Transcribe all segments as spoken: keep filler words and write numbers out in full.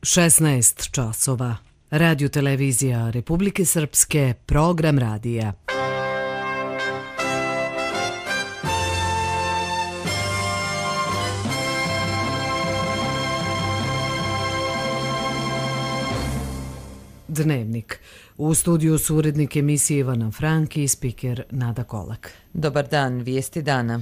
šesnaest časova. Radio televizija Republike Srpske, program radija. Dnevnik. U studiju su urednik emisije Ivana Franki i spiker Nada Kolak. Dobar dan, vijesti dana.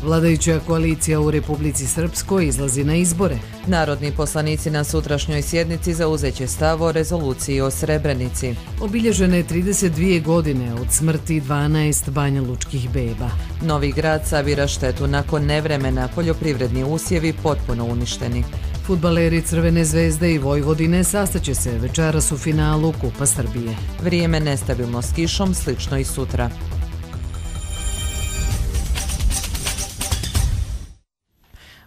Vladajuća koalicija u Republici Srpskoj izlazi na izbore. Narodni poslanici na sutrašnjoj sjednici zauzeće stav o rezoluciji o Srebrenici. Obilježene trideset dvije godine od smrti dvanaest banjalučkih beba. Novi grad sabira štetu nakon nevremena, poljoprivredni usjevi potpuno uništeni. Fudbaleri Crvene zvezde i Vojvodine sastaće se večeras u finalu Kupa Srbije. Vrijeme nestabilno s kišom, slično i sutra.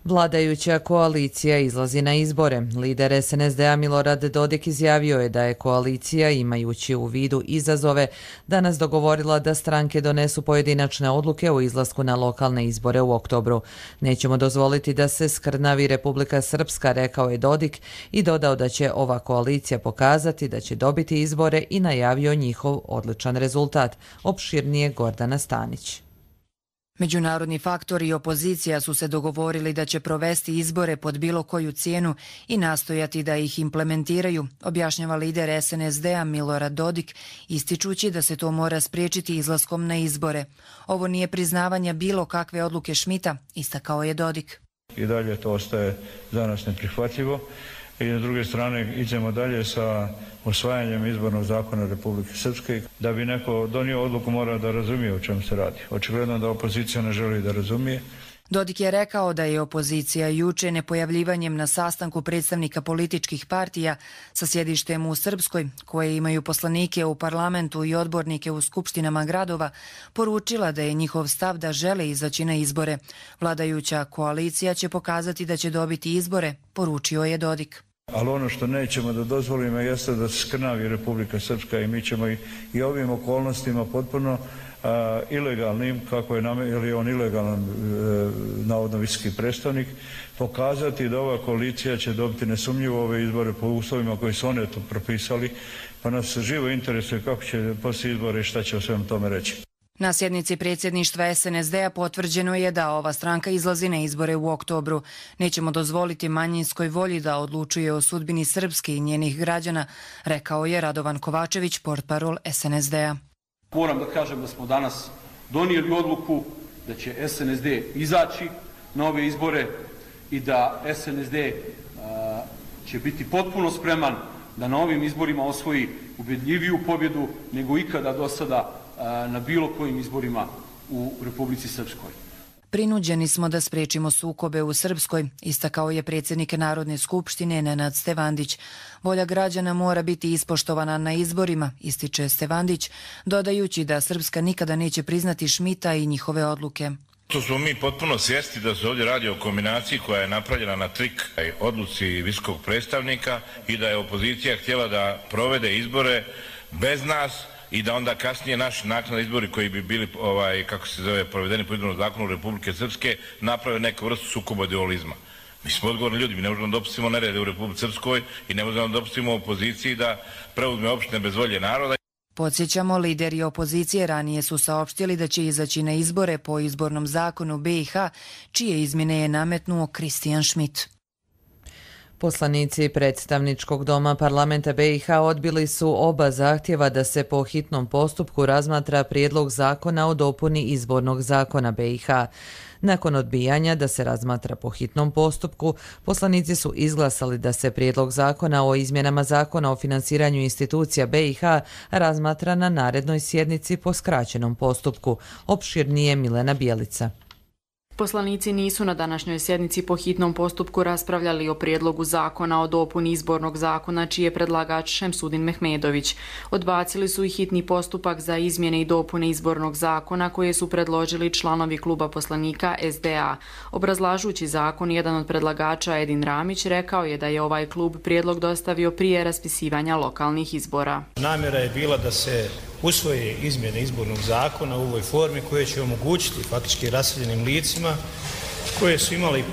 Vladajuća koalicija izlazi na izbore. Lider es en es de a Milorad Dodik izjavio je da je koalicija, imajući u vidu izazove, danas dogovorila da stranke donesu pojedinačne odluke o izlasku na lokalne izbore u oktobru. Nećemo dozvoliti da se skrnavi Republika Srpska, rekao je Dodik i dodao da će ova koalicija pokazati da će dobiti izbore i najavio njihov odličan rezultat. Opširnije Gordana Stanić. Međunarodni faktori i opozicija su se dogovorili da će provesti izbore pod bilo koju cijenu i nastojati da ih implementiraju, objašnjava lider es en es de a Milorad Dodik, ističući da se to mora spriječiti izlaskom na izbore. Ovo nije priznavanje bilo kakve odluke Šmita, istakao je Dodik. I dalje to ostaje za nas neprihvatljivo i s druge strane idemo dalje sa osvajanjem izbornog zakona Republike Srpske. Da bi neko donio odluku mora da razumije o čemu se radi. Očigledno da opozicija ne želi da razumije. Dodik je rekao da je opozicija juče nepojavljivanjem na sastanku predstavnika političkih partija sa sjedištem u Srpskoj, koje imaju poslanike u parlamentu i odbornike u skupštinama gradova, poručila da je njihov stav da žele izaći na izbore. Vladajuća koalicija će pokazati da će dobiti izbore, poručio je Dodik. Ali ono što nećemo da dozvolimo jeste da se skrnavi Republika Srpska i mi ćemo i, i ovim okolnostima potpuno a, ilegalnim, kako je, nam, je on ilegalan e, navodno visoki predstavnik, pokazati da ova koalicija će dobiti nesumnjivo ove izbore po uslovima koji su one to propisali, pa nas živo interesuje kako će poslije izbore i šta će o svemu tome reći. Na sjednici predsjedništva es en es de a potvrđeno je da ova stranka izlazi na izbore u oktobru. Nećemo dozvoliti manjinskoj volji da odlučuje o sudbini Srpske i njenih građana, rekao je Radovan Kovačević, portparol es en es de a. Moram da kažem da smo danas donijeli odluku da će es en es de izaći na ove izbore i da es en es de a, će biti potpuno spreman da na ovim izborima osvoji ubedljiviju pobjedu nego ikada do sada na bilo kojim izborima u Republici Srpskoj. Prinuđeni smo da sprečimo sukobe u Srpskoj, istakao je predsjednik Narodne skupštine Nenad Stevandić. Volja građana mora biti ispoštovana na izborima, ističe Stevandić, dodajući da Srpska nikada neće priznati Šmita i njihove odluke. To smo mi potpuno svjesni da se ovdje radi o kombinaciji koja je napravljena na trik odluci visokog predstavnika i da je opozicija htjela da provede izbore bez nas i da onda kasnije naši naknadni izbori koji bi bili, ovaj, kako se zove, provedeni po izbornom zakonu Republike Srpske, naprave neku vrstu sukoba dualizma. Mi smo odgovorni ljudi, mi ne možemo da dopustimo nerede u Republici Srpskoj i ne možemo da dopustimo opoziciji da preuzme opštine bez volje naroda. Podsjećamo, lideri opozicije ranije su saopštili da će izaći na izbore po izbornom zakonu be i ha, čije izmjene je nametnuo Kristijan Šmit. Poslanici predstavničkog doma parlamenta be i ha odbili su oba zahtjeva da se po hitnom postupku razmatra prijedlog zakona o dopuni izbornog zakona be i ha. Nakon odbijanja da se razmatra po hitnom postupku, poslanici su izglasali da se prijedlog zakona o izmjenama zakona o finansiranju institucija be i ha razmatra na narednoj sjednici po skraćenom postupku. Opširnije Milena Bjelica. Poslanici nisu na današnjoj sjednici po hitnom postupku raspravljali o prijedlogu zakona o dopuni izbornog zakona, čiji je predlagač Šemsudin Mehmedović. Odbacili su i hitni postupak za izmjene i dopune izbornog zakona koje su predložili članovi kluba poslanika es de a. Obrazlažući zakon, jedan od predlagača, Edin Ramić, rekao je da je ovaj klub prijedlog dostavio prije raspisivanja lokalnih izbora. Namjera je bila da se usvoje izmjene izbornog zakona u ovoj formi koje će omogućiti faktički raseljenim licima koje su imali,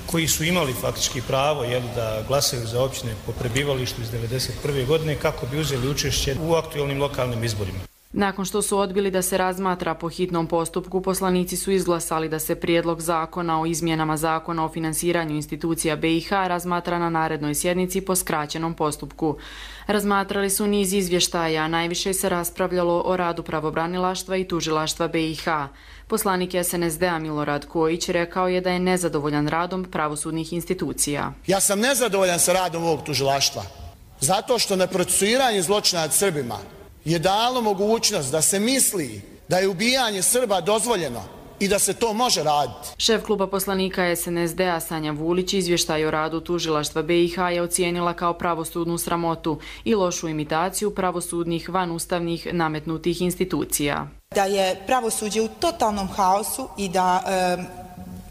koji su imali faktički pravo jel, da glasaju za općine po prebivalištu iz devedeset prve godine kako bi uzeli učešće u aktualnim lokalnim izborima. Nakon što su odbili da se razmatra po hitnom postupku, poslanici su izglasali da se prijedlog zakona o izmjenama zakona o finansiranju institucija B i H razmatra na narednoj sjednici po skraćenom postupku. Razmatrali su niz izvještaja, a najviše se raspravljalo o radu pravobranilaštva i tužilaštva B i H. Poslanik S N S D-a Milorad Kojić rekao je da je nezadovoljan radom pravosudnih institucija. Ja sam nezadovoljan sa radom ovog tužilaštva, zato što neprocesuiranje zločina nad Srbima je dalo mogućnost da se misli da je ubijanje Srba dozvoljeno i da se to može raditi. Šef kluba poslanika S N S D-a Sanja Vulić izvještaj o radu tužilaštva B i H je ocijenila kao pravosudnu sramotu i lošu imitaciju pravosudnih vanustavnih nametnutih institucija. Da je pravosuđe u totalnom haosu i da e,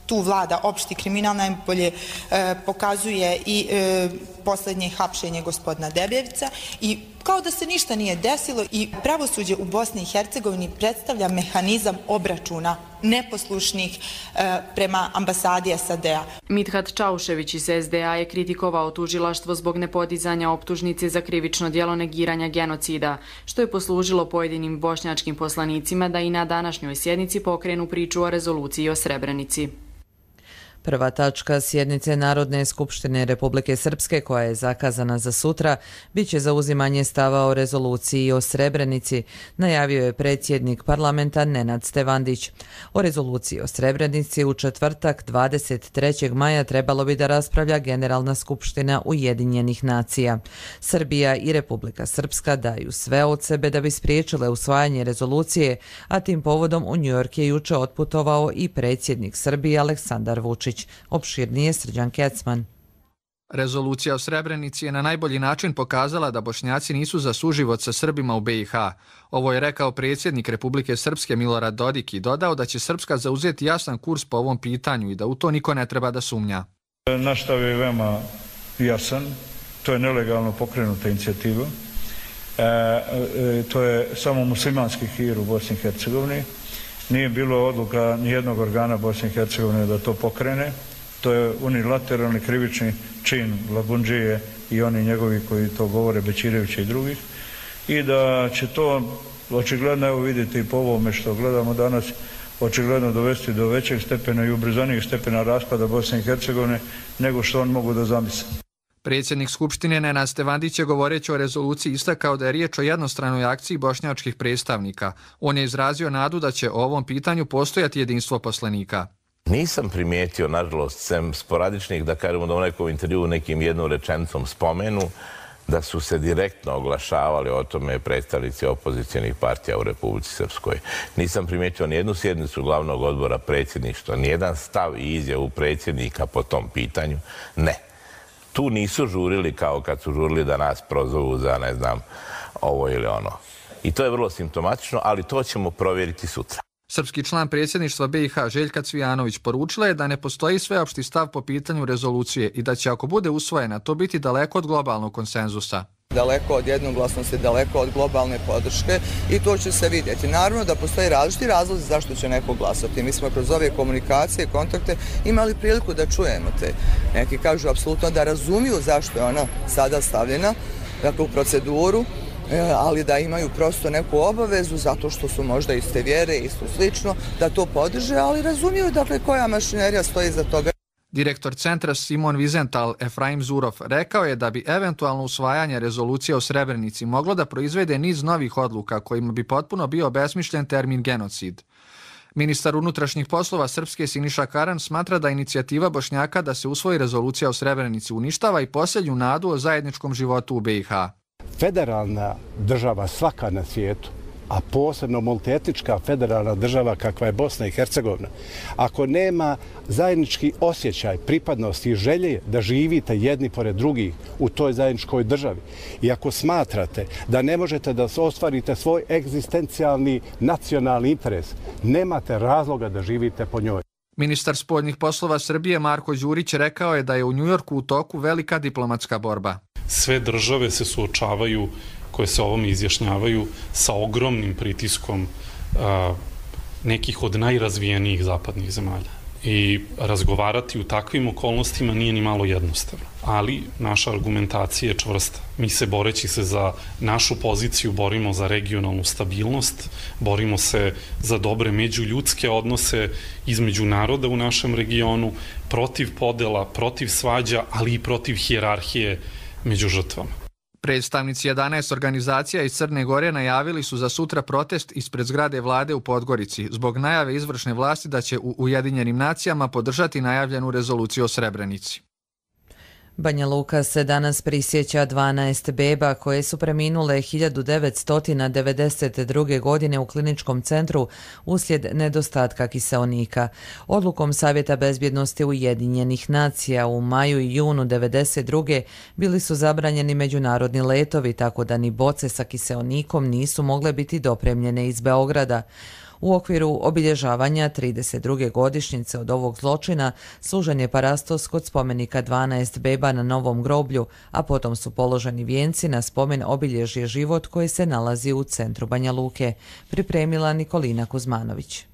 tu vlada opšti kriminal najbolje e, pokazuje i e, posljednje hapšenje gospodina Debevca i kao da se ništa nije desilo i pravosuđe u Bosni i Hercegovini predstavlja mehanizam obračuna neposlušnih e, prema ambasadi S A D-a. Mithat Čaušević iz S D A je kritikovao tužilaštvo zbog nepodizanja optužnice za krivično djelo negiranja genocida, što je poslužilo pojedinim bošnjačkim poslanicima da i na današnjoj sjednici pokrenu priču o rezoluciji o Srebrenici. Prva tačka sjednice Narodne skupštine Republike Srpske, koja je zakazana za sutra, bit će zauzimanje stava o rezoluciji o Srebrenici, najavio je predsjednik parlamenta Nenad Stevandić. O rezoluciji o Srebrenici u četvrtak dvadeset trećeg maja trebalo bi da raspravlja Generalna skupština Ujedinjenih nacija. Srbija i Republika Srpska daju sve od sebe da bi spriječile usvajanje rezolucije, a tim povodom u Njujork je juče otputovao i predsjednik Srbije Aleksandar Vučić. Opširnije Srđan Kecman. Rezolucija o Srebrenici je na najbolji način pokazala da Bošnjaci nisu za suživot sa Srbima u B i H. Ovo je rekao predsjednik Republike Srpske Milorad Dodik i dodao da će Srpska zauzeti jasan kurs po ovom pitanju i da u to niko ne treba da sumnja. Naš stav je veoma jasan, to je nelegalno pokrenuta inicijativa, e, e, to je samo muslimanski hir u Bosni i Hercegovini. Nije bilo odluka nijednog organa Bosne i Hercegovine da to pokrene. To je unilateralni krivični čin Labundžije i oni njegovi koji to govore, Bećirevića i drugih. I da će to očigledno, evo vidite i po ovome što gledamo danas, očigledno dovesti do većeg stepena i ubrzanijeg stepena raspada Bosne i Hercegovine nego što on mogu da zamisle. Predsjednik Skupštine Nenad Stevandić je govoreći o rezoluciji istakao da je riječ o jednostranoj akciji bošnjačkih predstavnika. On je izrazio nadu da će o ovom pitanju postojati jedinstvo poslanika. Nisam primijetio, nažalost, sem sporadičnih, da kažemo da u nekom intervju nekim jednom rečenicom spomenu, da su se direktno oglašavali o tome predstavnici opozicionih partija u Republici Srpskoj. Nisam primijetio nijednu sjednicu glavnog odbora predsjedništva, nijedan stav i izjavu predsjednika po tom pitanju. Ne. Tu nisu žurili kao kad su žurili da nas prozovu za, ne znam, ovo ili ono. I to je vrlo simptomatično, ali to ćemo provjeriti sutra. Srpski član predsjedništva B i H Željka Cvijanović poručila je da ne postoji sveopšti stav po pitanju rezolucije i da će, ako bude usvojena, to biti daleko od globalnog konsenzusa. Daleko od jednoglasnosti, daleko od globalne podrške i to će se vidjeti. Naravno da postoji različiti razlozi zašto će neko glasati. Mi smo kroz ove komunikacije, kontakte imali priliku da čujemo te. Neki kažu apsolutno da razumiju zašto je ona sada stavljena, dakle u proceduru, ali da imaju prosto neku obavezu zato što su možda iste vjere, isto slično, da to podrže, ali razumiju dakle koja mašinerija stoji iza toga. Direktor centra Simon Vizental Efraim Zurov rekao je da bi eventualno usvajanje rezolucije o Srebrenici moglo da proizvede niz novih odluka kojima bi potpuno bio obesmišljen termin genocid. Ministar unutrašnjih poslova Srpske Siniša Karan smatra da inicijativa Bošnjaka da se usvoji rezolucija o Srebrenici uništava i posljednju nadu o zajedničkom životu u B i H. Federalna država svaka na svijetu, a posebno multietnička federalna država kakva je Bosna i Hercegovina, ako nema zajednički osjećaj pripadnosti i želje da živite jedni pored drugih u toj zajedničkoj državi i ako smatrate da ne možete da ostvarite svoj egzistencijalni nacionalni interes, nemate razloga da živite po njoj. Ministar spoljnih poslova Srbije Marko Đurić rekao je da je u Njujorku u toku velika diplomatska borba. Sve države se suočavaju koje se ovome izjašnjavaju sa ogromnim pritiskom a, nekih od najrazvijenijih zapadnih zemalja. I razgovarati u takvim okolnostima nije ni malo jednostavno. Ali naša argumentacija je čvrsta. Mi se, boreći se za našu poziciju, borimo za regionalnu stabilnost, borimo se za dobre međuljudske odnose između naroda u našem regionu, protiv podela, protiv svađa, ali i protiv hijerarhije među žrtvama. Predstavnici jedanaest organizacija iz Crne Gore najavili su za sutra protest ispred zgrade vlade u Podgorici zbog najave izvršne vlasti da će u Ujedinjenim nacijama podržati najavljenu rezoluciju o Srebrenici. Banja Luka se danas prisjeća dvanaest beba koje su preminule hiljadu devetsto devedeset druge. godine u kliničkom centru uslijed nedostatka kiseonika. Odlukom Savjeta bezbjednosti Ujedinjenih nacija u maju i junu devedeset druge. bili su zabranjeni međunarodni letovi, tako da ni boce sa kiseonikom nisu mogle biti dopremljene iz Beograda. U okviru obilježavanja trideset druge godišnjice od ovog zločina služen je parastos kod spomenika dvanaest beba na Novom groblju, a potom su položeni vijenci na spomen obilježje Život koji se nalazi u centru Banja Luke. Pripremila Nikolina Kuzmanović.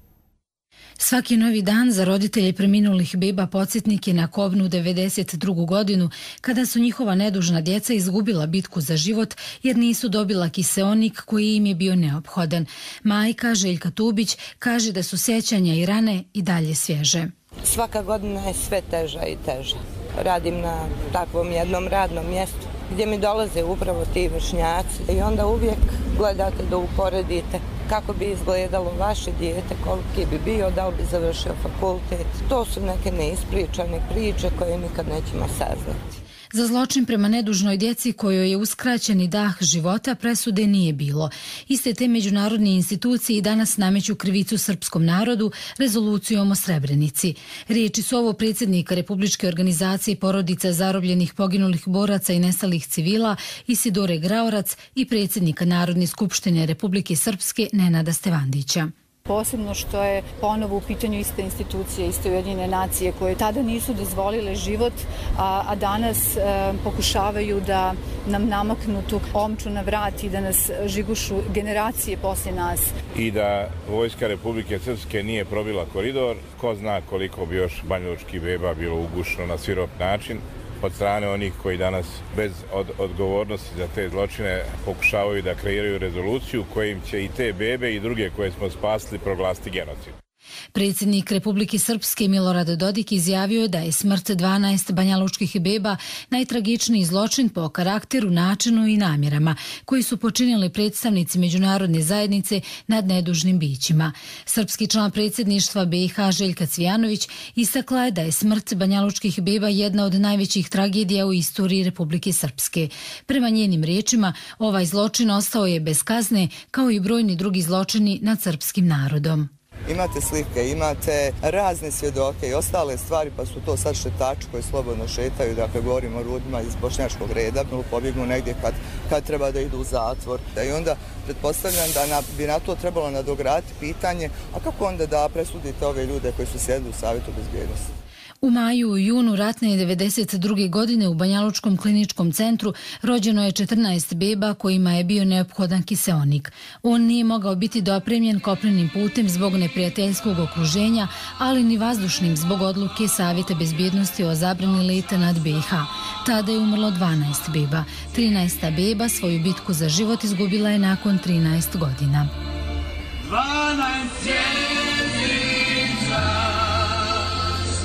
Svaki novi dan za roditelje preminulih beba podsjetnik je na kobnu devedeset drugu. godinu, kada su njihova nedužna djeca izgubila bitku za život jer nisu dobila kiseonik koji im je bio neophodan. Majka Željka Tubić kaže da su sjećanja i rane i dalje svježe. Svaka godina je sve teža i teža. Radim na takvom jednom radnom mjestu gdje mi dolaze upravo ti vršnjaci i onda uvijek gledate da uporedite kako bi izgledalo vaše dijete, koliki bi bio, da li bi završio fakultet. To su neke neispričane priče koje nikad nećemo saznati. Za zločin prema nedužnoj djeci kojoj je uskraćeni dah života presude nije bilo. Iste te međunarodne institucije i danas nameću krivicu srpskom narodu rezolucijom o Srebrenici. Riječi su ovo predsjednika Republičke organizacije porodica zarobljenih poginulih boraca i nestalih civila Isidore Graorac i predsjednika Narodne skupštine Republike Srpske Nenada Stevandića. Posebno što je ponovo u pitanju iste institucije, iste Ujedinjene nacije koje tada nisu dozvolile život, a, a danas e, pokušavaju da nam namaknu tu omču na vrat i da nas žigušu generacije poslije nas. I da vojska Republike Srpske nije probila koridor, ko zna koliko bi još banjalučkih beba bilo ugušeno na svirop način od strane onih koji danas bez od, odgovornosti za te zločine pokušavaju da kreiraju rezoluciju kojim će i te bebe i druge koje smo spasili proglasiti genocid. Predsjednik Republike Srpske Milorad Dodik izjavio je da je smrt dvanaest banjalučkih beba najtragičniji zločin po karakteru, načinu i namjerama koji su počinili predstavnici međunarodne zajednice nad nedužnim bićima. Srpski član predsjedništva B i H Željka Cvijanović istakla je da je smrt banjalučkih beba jedna od najvećih tragedija u istoriji Republike Srpske. Prema njenim riječima, ovaj zločin ostao je bez kazne kao i brojni drugi zločini nad srpskim narodom. Imate slike, imate razne svjedoke i ostale stvari, pa su to sad šetači koji slobodno šetaju, dakle govorimo o ljudima iz bošnjačkog reda, pobjegnu negdje kad, kad treba da idu u zatvor. I onda pretpostavljam da na, bi na to trebalo nadograditi pitanje, a kako onda da presudite ove ljude koji su sjedili u Savjetu bezbjednosti? U maju i junu ratne devedeset druge. godine u Banjalučkom kliničkom centru rođeno je četrnaest beba kojima je bio neophodan kiseonik. On nije mogao biti dopremljen kopnenim putem zbog neprijateljskog okruženja, ali ni vazdušnim zbog odluke Savjeta bezbjednosti o zabrani leta nad B i H. Tada je umrlo dvanaest beba. trinaesta beba svoju bitku za život izgubila je nakon trinaest godina. dvanaest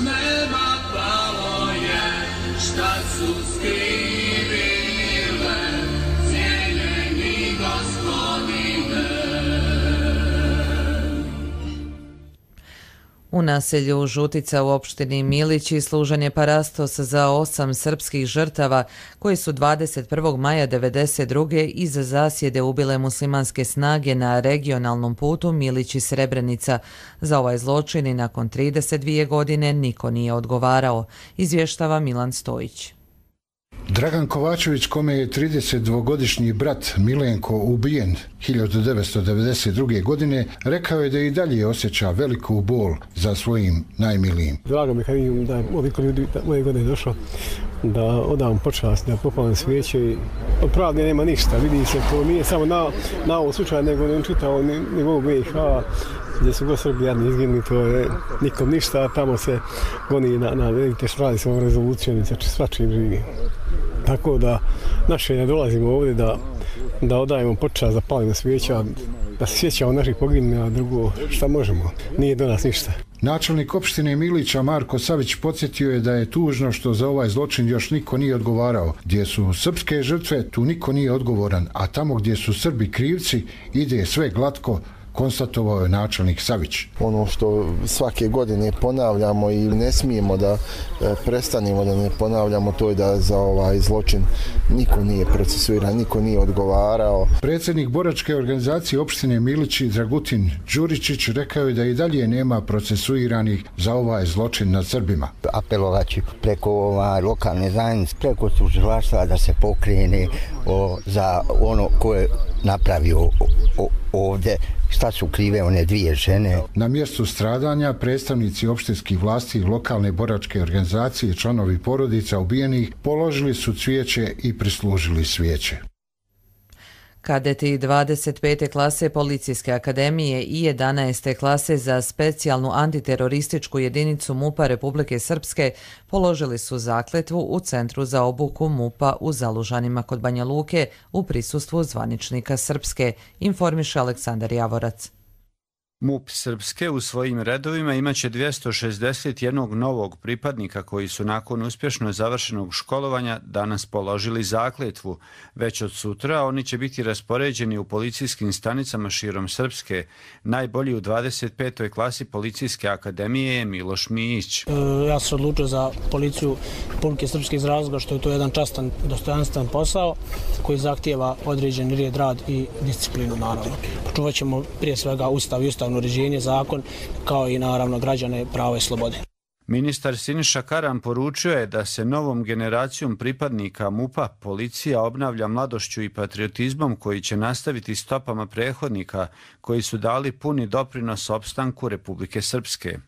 neba palo je, šta su skrivile cijeljeni gospodine. U naselju Žutica u opštini Milići služen je parastos za osam srpskih žrtava koji su dvadeset prvog maja devedeset druge. iz zasjede ubile muslimanske snage na regionalnom putu Milići-Srebrenica. Za ovaj zločin i nakon trideset dvije godine niko nije odgovarao, izvještava Milan Stojić. Dragan Kovačević, kome je tridesetdvogodišnji brat Milenko ubijen hiljadu devetsto devedeset druge. godine, rekao je da i dalje osjeća veliku bol za svojim najmilijim. Drago mi kad vidim da je ovoliko ljudi moje godine došlo da odam počast, da popalim svijeće i od pravde nema ništa, vidi se, to nije samo na, na ovom slučaju, nego ne čitao nivou B i H, gdje su go Srbi jadni izginuli, to je nikom ništa, tamo se goni na, na vidite što radi s ovom rezolucijom, znači svačim živi. Tako da naše ne dolazimo ovdje da, da odajemo počast, da palimo svijeća, da se sjećamo naših poginulih, a drugo šta možemo, nije do nas ništa. Načelnik opštine Milića Marko Savić podsjetio je da je tužno što za ovaj zločin još niko nije odgovarao. Gdje su srpske žrtve, tu niko nije odgovoran, a tamo gdje su Srbi krivci, ide sve glatko, konstatovao je načelnik Savić. Ono što svake godine ponavljamo i ne smijemo da prestanemo da ne ponavljamo, to je da za ovaj zločin niko nije procesuiran, niko nije odgovarao. Predsjednik boračke organizacije opštine Milići Dragutin Đuričić rekao je da i dalje nema procesuiranih za ovaj zločin nad Srbima. Apelovaći preko ovaj, lokalne zajednice, preko tužilaštva da se pokrene o, za ono ko je napravio o, o, ovdje, šta su krive one dvije žene. Na mjestu stradanja predstavnici opštinskih vlasti i lokalne boračke organizacije i članovi porodica ubijenih položili su cvijeće i prislužili svijeće. Kadeti dvadeset pete klase Policijske akademije i jedanaeste klase za specijalnu antiterorističku jedinicu MUP-a Republike Srpske položili su zakletvu u Centru za obuku MUP-a u Zalužanima kod Banja Luke u prisustvu zvaničnika Srpske, informiše Aleksandar Javorac. MUP Srpske u svojim redovima imaće dvjesto šezdeset jedan novog pripadnika koji su nakon uspješno završenog školovanja danas položili zakletvu. Već od sutra oni će biti raspoređeni u policijskim stanicama širom Srpske. Najbolji u dvadeset petoj klasi Policijske akademije je Miloš Mijić. E, ja sam se odlučio za policiju Republike Srpske iz razloga što je to jedan častan, dostojanstven posao koji zahtijeva određen red, rad i disciplinu, naravno. Počuvat ćemo prije svega ustav i ustavno uređenje, zakon, kao i naravno građane, pravo i slobode. Ministar Siniša Karan poručio je da se novom generacijom pripadnika MUP-a policija obnavlja mladošću i patriotizmom koji će nastaviti stopama prethodnika koji su dali puni doprinos opstanku Republike Srpske.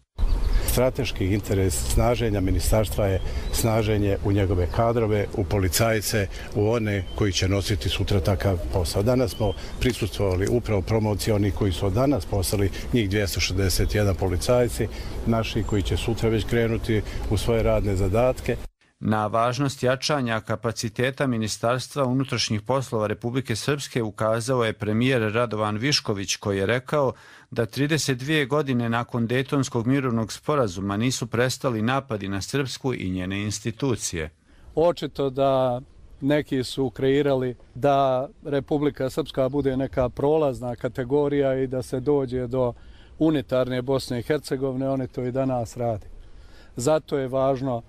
Strateški interes snaženja ministarstva je snaženje u njegove kadrove, u policajce, u one koji će nositi sutra takav posao. Danas smo prisustvovali upravo promociji onih koji su od danas postali njih dvjesto šezdeset jedan policajci, naši koji će sutra već krenuti u svoje radne zadatke. Na važnost jačanja kapaciteta Ministarstva unutrašnjih poslova Republike Srpske ukazao je premijer Radovan Višković koji je rekao da trideset dvije godine nakon Dejtonskog mirovnog sporazuma nisu prestali napadi na Srpsku i njene institucije. Očito da neki su kreirali da Republika Srpska bude neka prolazna kategorija i da se dođe do unitarne Bosne i Hercegovine, oni to i danas radi. Zato je važno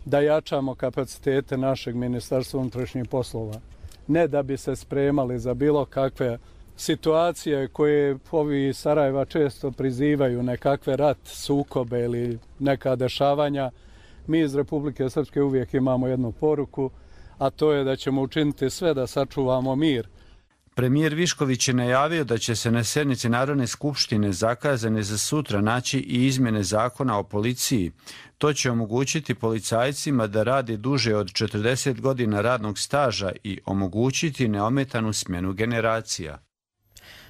da jačamo kapacitete našeg Ministarstva unutrašnjih poslova. Ne da bi se spremali za bilo kakve situacije koje ovi iz Sarajeva često prizivaju, nekakve rat, sukobe ili neka dešavanja. Mi iz Republike Srpske uvijek imamo jednu poruku, a to je da ćemo učiniti sve da sačuvamo mir. Premijer Višković je najavio da će se na sjednici Narodne skupštine zakazane za sutra naći i izmjene zakona o policiji. To će omogućiti policajcima da rade duže od četrdeset godina radnog staža i omogućiti neometanu smjenu generacija.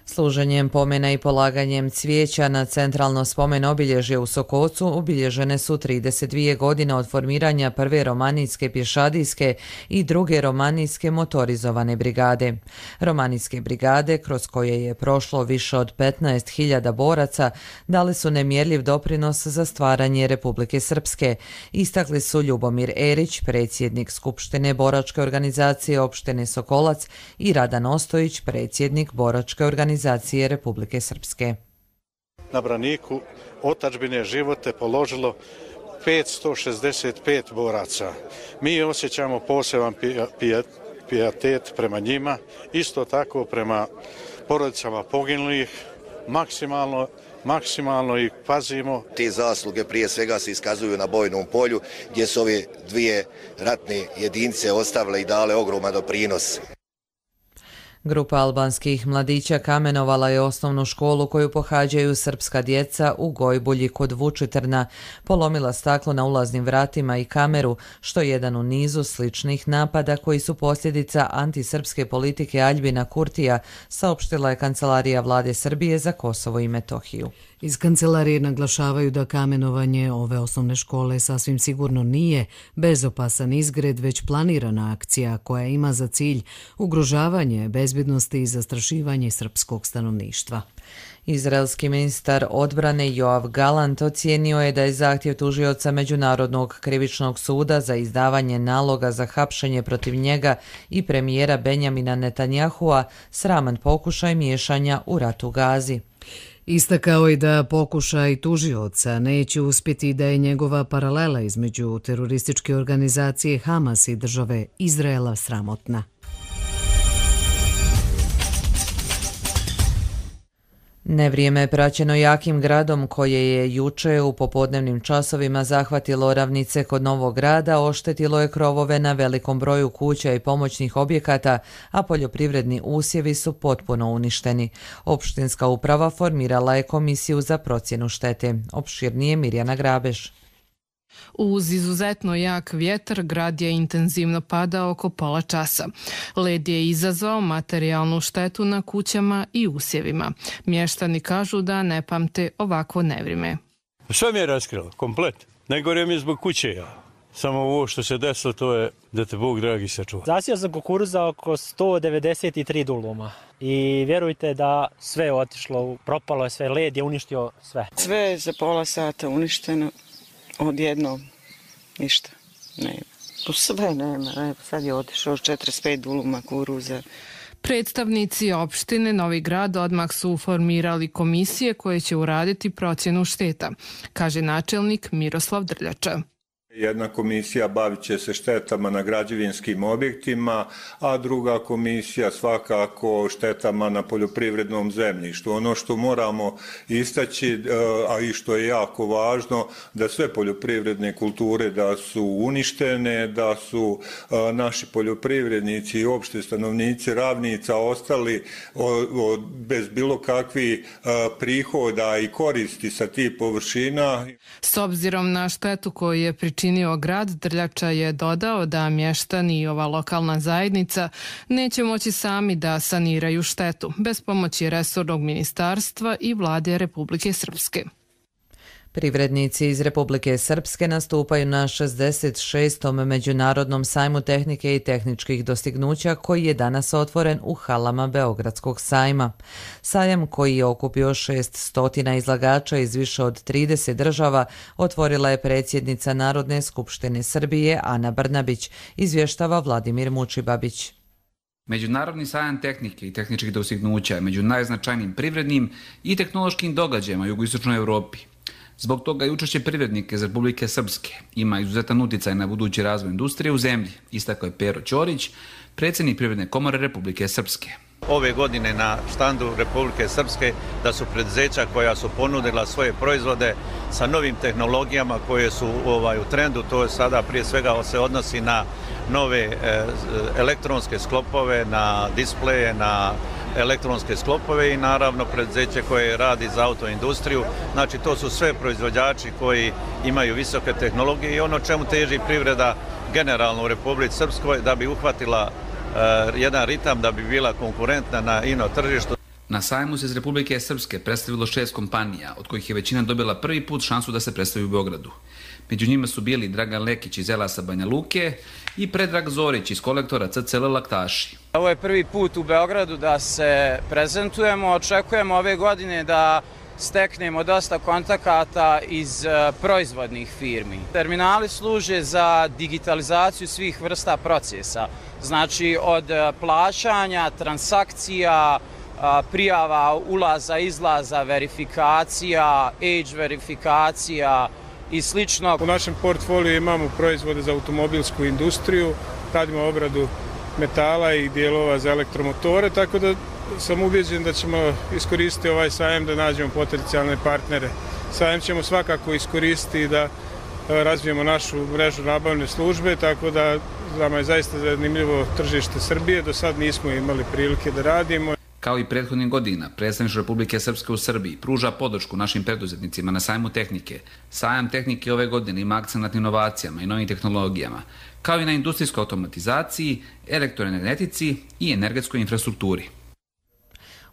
Služenjem pomena i polaganjem cvijeća na centralno spomen obilježje u Sokocu obilježene su trideset dvije godine od formiranja prve romanijske pješadijske i druge romanijske motorizovane brigade. Romanijske brigade, kroz koje je prošlo više od petnaest hiljada boraca, dali su nemjerljiv doprinos za stvaranje Republike Srpske, istakli su Ljubomir Erić, predsjednik Skupštine boračke organizacije opštine Sokolac, i Radan Ostojić, predsjednik boračke organizacije organizacije Republike Srpske. Na braniku otadžbine živote položilo petsto šezdeset pet boraca. Mi osjećamo poseban pijetet prema njima, isto tako prema porodicama poginulih, maksimalno maksimalno ih pazimo. Te zasluge prije svega se iskazuju na bojnom polju gdje su ove dvije ratne jedinice ostavile i dale ogroman doprinos. Grupa albanskih mladića kamenovala je osnovnu školu koju pohađaju srpska djeca u Gojbulji kod Vučitrna, polomila staklo na ulaznim vratima i kameru, što je jedan u nizu sličnih napada koji su posljedica antisrpske politike Aljbina Kurtija, saopštila je Kancelarija Vlade Srbije za Kosovo i Metohiju. Iz kancelarije naglašavaju da kamenovanje ove osnovne škole sasvim sigurno nije bezopasan izgred, već planirana akcija koja ima za cilj ugrožavanje bezbjednosti i zastrašivanje srpskog stanovništva. Izraelski ministar odbrane Joav Galant ocijenio je da je zahtjev tužioca Međunarodnog krivičnog suda za izdavanje naloga za hapšenje protiv njega i premijera Benjamina Netanjahua sraman pokušaj miješanja u rat u Gazi. Istakao je da pokušaj tužioca neće uspjeti, da je njegova paralela između terorističke organizacije Hamas i države Izraela sramotna. Nevrijeme je praćeno jakim gradom koje je juče u popodnevnim časovima zahvatilo ravnice kod Novog Grada, oštetilo je krovove na velikom broju kuća i pomoćnih objekata, a poljoprivredni usjevi su potpuno uništeni. Opštinska uprava formirala je komisiju za procjenu štete. Opširnije Mirjana Grabeš. Uz izuzetno jak vjetar, grad je intenzivno padao oko pola časa. Led je izazvao materijalnu štetu na kućama i usjevima. Mještani kažu da ne pamte ovakvo nevrime. Sve mi je raskrilo, komplet. Najgore mi je zbog kuće, ja. Samo ovo što se desilo, to je da te Bog dragi sačuva. Zasio sam kukuruza oko sto devedeset tri duluma. I vjerujte da sve je otišlo, propalo je sve, led je uništio sve. Sve je za pola sata uništeno. Odjednom, ništa, nema. Sve nema, sad je otišao četrdeset pet duluma kuruza. Predstavnici opštine Novi Grad odmah su formirali komisije koje će uraditi procjenu šteta, kaže načelnik Miroslav Drljača. Jedna komisija bavit će se štetama na građevinskim objektima, a druga komisija svakako štetama na poljoprivrednom zemljištu. Ono što moramo istaći, a i što je jako važno, da sve poljoprivredne kulture da su uništene, da su naši poljoprivrednici i opšte stanovnici Ravnica ostali bez bilo kakvih prihoda i koristi sa tih površina. S obzirom na štetu koju je pričinio činio grad, Drljača je dodao da mještani i ova lokalna zajednica neće moći sami da saniraju štetu bez pomoći resornog ministarstva i vlade Republike Srpske. Privrednici iz Republike Srpske nastupaju na šezdeset šestom Međunarodnom sajmu tehnike i tehničkih dostignuća koji je danas otvoren u halama Beogradskog sajma. Sajam koji je okupio šesnaest izlagača iz više od trideset država otvorila je predsjednica Narodne skupštine Srbije Ana Brnabić, izvještava Vladimir Mučibabić. Međunarodni sajam tehnike i tehničkih dostignuća je među najznačajnijim privrednim i tehnološkim događajima u jugoistočnoj Evropi. Zbog toga i učešće privrednika iz Republike Srpske ima izuzetan uticaj na budući razvoj industrije u zemlji, istakao je Pero Ćorić, predsjednik Privredne komore Republike Srpske. Ove godine na štandu Republike Srpske da su preduzeća koja su ponudila svoje proizvode sa novim tehnologijama koje su ovaj, u trendu, to je sada prije svega se odnosi na nove e, elektronske sklopove, na displeje, na elektronske sklopove i naravno preduzeće koje radi za autoindustriju. Znači to su sve proizvođači koji imaju visoke tehnologije i ono čemu teži privreda generalno u Republici Srpskoj da bi uhvatila uh, jedan ritam, da bi bila konkurentna na ino tržištu. Na sajmu se iz Republike Srpske predstavilo šest kompanija, od kojih je većina dobila prvi put šansu da se predstavi u Beogradu. Među njima su bili Dragan Lekić iz Elasa Banja Luke i Predrag Zorić iz kolektora C C L Laktaši. Ovo je prvi put u Beogradu da se prezentujemo. Očekujemo ove godine da steknemo dosta kontakata iz proizvodnih firmi. Terminali služe za digitalizaciju svih vrsta procesa. Znači od plaćanja, transakcija, prijava, ulaza, izlaza, verifikacija, age verifikacija i slično. U našem portfoliju imamo proizvode za automobilsku industriju, radimo obradu metala i dijelova za elektromotore, tako da sam ubeđen da ćemo iskoristiti ovaj sajam da nađemo potencijalne partnere. Sajam ćemo svakako iskoristiti da razvijemo našu mrežu nabavne službe, tako da nama je zaista zanimljivo tržište Srbije. Do sad nismo imali prilike da radimo. Kao i prethodnih godina, predstavništvo Republike Srpske u Srbiji pruža podršku našim preduzetnicima na sajmu tehnike. Sajam tehnike ove godine ima akcent na inovacijama i novim tehnologijama, kao i na industrijskoj automatizaciji, elektroenergetici i energetskoj infrastrukturi.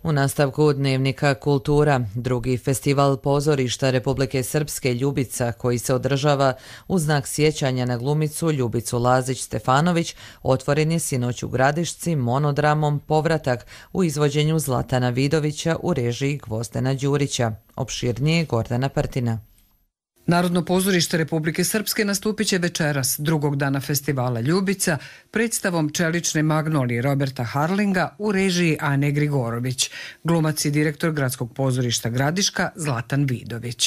U nastavku Dnevnika kultura, drugi festival pozorišta Republike Srpske Ljubica, koji se održava u znak sjećanja na glumicu Ljubicu Lazić-Stefanović, otvoren je sinoć u Gradišci monodramom Povratak u izvođenju Zlatana Vidovića u režiji Gvozdena Đurića. Opširnije Gordana Partina. Narodno pozorište Republike Srpske nastupit će večeras, drugog dana festivala Ljubica, predstavom Čelične magnolije Roberta Harlinga u režiji Ane Grigorović. Glumac i direktor Gradskog pozorišta Gradiška Zlatan Vidović.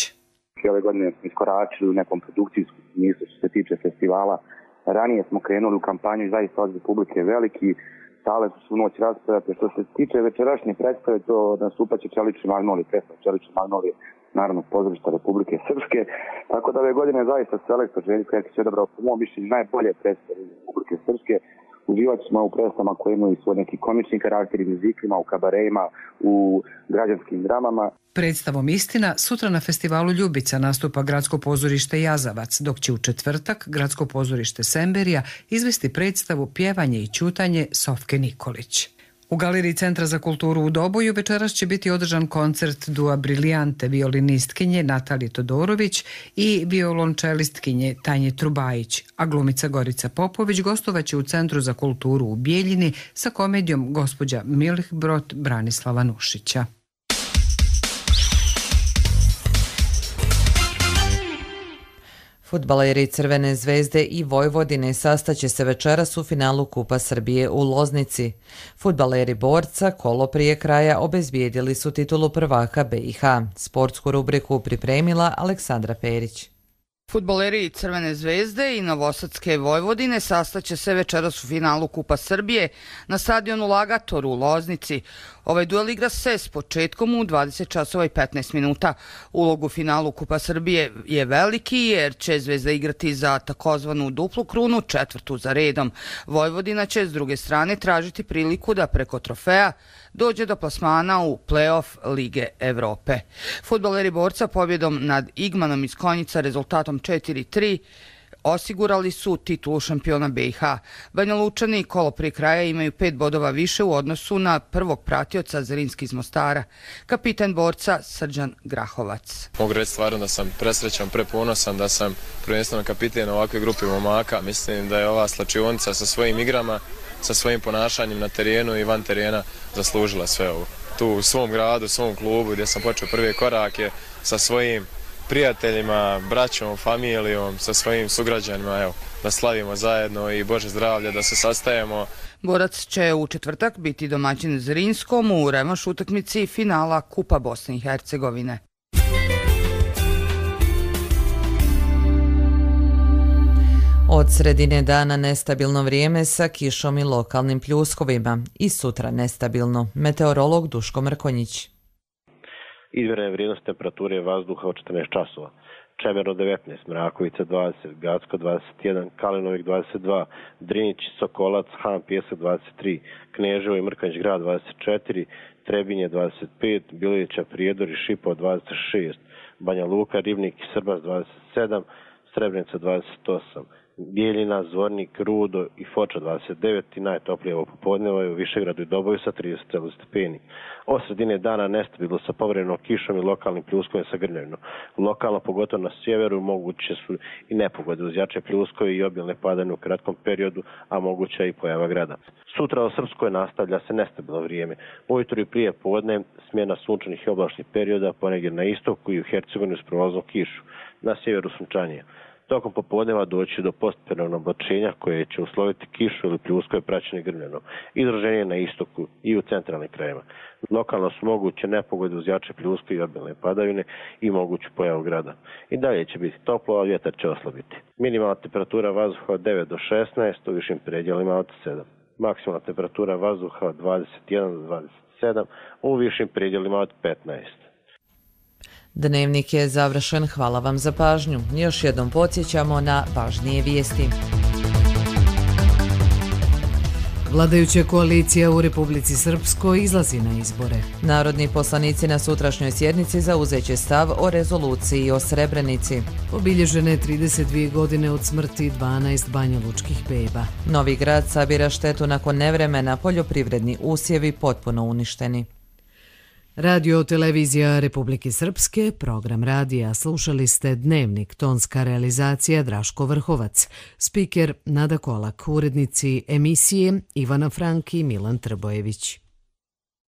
Ove godine smo iskoračili u nekom produkcijskom smislu što se tiče festivala. Ranije smo krenuli u kampanju i zaista od Republike veliki. Sale su svu noć raspravljate. Što se tiče večerašnje predstave, to nastupat će Čelične magnolije, predstava Čelične magnolije Narodnog pozorišta Republike Srpske. Tako da ove godine zaista selektor Željko Jerkić je odabrao po mom mišljenju najbolje predstave Republike Srpske. Uživat ćemo u predstavama koje imaju svoj neki komični karakter i muziklima, u kabarejima, u građanskim dramama. Predstavom Istina sutra na festivalu Ljubica nastupa Gradsko pozorište Jazavac, dok će u četvrtak Gradsko pozorište Semberija izvesti predstavu Pjevanje i ćutanje Sofke Nikolić. U Galeriji Centra za kulturu u Doboju večeras će biti održan koncert Dua Briljante violinistkinje Natalije Todorović i violončelistkinje Tanje Trubajić, a glumica Gorica Popović gostovaće u Centru za kulturu u Bijeljini sa komedijom Gospođa Milhbrot Branislava Nušića. Fudbaleri Crvene zvezde i Vojvodine sastaće se večeras u finalu Kupa Srbije u Loznici. Fudbaleri Borca kolo prije kraja obezbijedili su titulu prvaka B i H. Sportsku rubriku pripremila Aleksandra Perić. Fudbaleri Crvene zvezde i Novosadske Vojvodine sastaće se večeras u finalu Kupa Srbije na stadionu Lagator u Loznici. Ovaj duel igra se s početkom u dvadeset časova i petnaest minuta. Ulog u finalu Kupa Srbije je veliki jer će Zvezda igrati za takozvanu duplu krunu, četvrtu za redom. Vojvodina će s druge strane tražiti priliku da preko trofeja dođe do plasmana u play-off Lige Evrope. Fudbaleri Borca pobjedom nad Igmanom iz Konjica rezultatom četiri tri osigurali su titulu šampiona B i H. Banja Lučani kolo prije kraja imaju pet bodova više u odnosu na prvog pratioca Zrinski iz Mostara. Kapitan Borca Srđan Grahovac. Mogu reći stvarno da sam presrećan, preponosan da sam prvenstveno kapiten ovakve grupe momaka. Mislim da je ova slačionica sa svojim igrama, sa svojim ponašanjem na terenu i van terena zaslužila sve ovo. Tu u svom gradu, svom klubu gdje sam počeo prve korake sa svojim prijateljima, braćom, familijom, sa svojim sugrađanima, evo, da slavimo zajedno i Bože zdravlje, da se sastajemo. Borac će u četvrtak biti domaćin Zrinskom u revanš utakmici finala Kupa Bosne i Hercegovine. Od sredine dana nestabilno vrijeme sa kišom i lokalnim pljuskovima. I sutra nestabilno. Meteorolog Duško Mrkonjić. Izmjerena vrijednost temperature vazduha od četrnaest časova. Čemerno devetnaest, Mrakovica dvadeset, Gacko dvadeset jedan, Kalinovik dvadeset dva, Drinić, Sokolac, Han, Pjesak dvadeset tri, Kneževo i Mrkonjić grad dvadeset četiri, Trebinje dvadeset pet, Bilovića, Prijedor i Šipao dvadeset šest, Banja Luka, Ribnik i Srbas dvadeset sedam, Srebrenica dvadeset osam, Bijeljina, Zvornik, Rudo i Foča dvadeset devet i najtoplije ovo popodneva je u Višegradu i Doboju sa trideset sedam stepeni. Od sredine dana nestabilno sa povremenom kišom i lokalnim pljuskovima sa grmljavinom. Lokalno, pogotovo na sjeveru, moguće su i nepogode uz jače pljuskove i obilne padanje u kratkom periodu, a moguća i pojava grada. Sutra u Srpskoj nastavlja se nestabilno vrijeme. Ujutro i prije podne smjena sunčanih i oblačnih perioda, ponegdje na istoku i u Hercegovini s prolaznom kišu. Na sjeveru sunčanije. Tokom popodneva doći do postepenoga oblačenja koje će usloviti kišu ili pljuskove praćene grmljanom. Izraženje na istoku i u centralnim krajevima. Lokalno su moguće nepogode uz jače pljuske i obilne padavine i moguću pojavu grada. I dalje će biti toplo, a vjetar će oslabiti. Minimalna temperatura vazduha od devet do šesnaest, u višim predjelima od sedam. Maksimalna temperatura vazduha od dvadeset jedan do dvadeset sedam, u višim predjelima od petnaest. Dnevnik je završen, hvala vam za pažnju. Još jednom podsjećamo na važnije vijesti. Vladajuća koalicija u Republici Srpskoj izlazi na izbore. Narodni poslanici na sutrašnjoj sjednici zauzeće stav o rezoluciji o Srebrenici. Obilježene trideset dvije godine od smrti dvanaest banjalučkih beba. Novi Grad sabira štetu nakon nevremena, poljoprivredni usjevi potpuno uništeni. Radio televizija Republike Srpske, program radija, slušali ste Dnevnik, tonska realizacija Draško Vrhovac, spiker Nada Kolak, urednici emisije Ivana Frank i Milan Trbojević.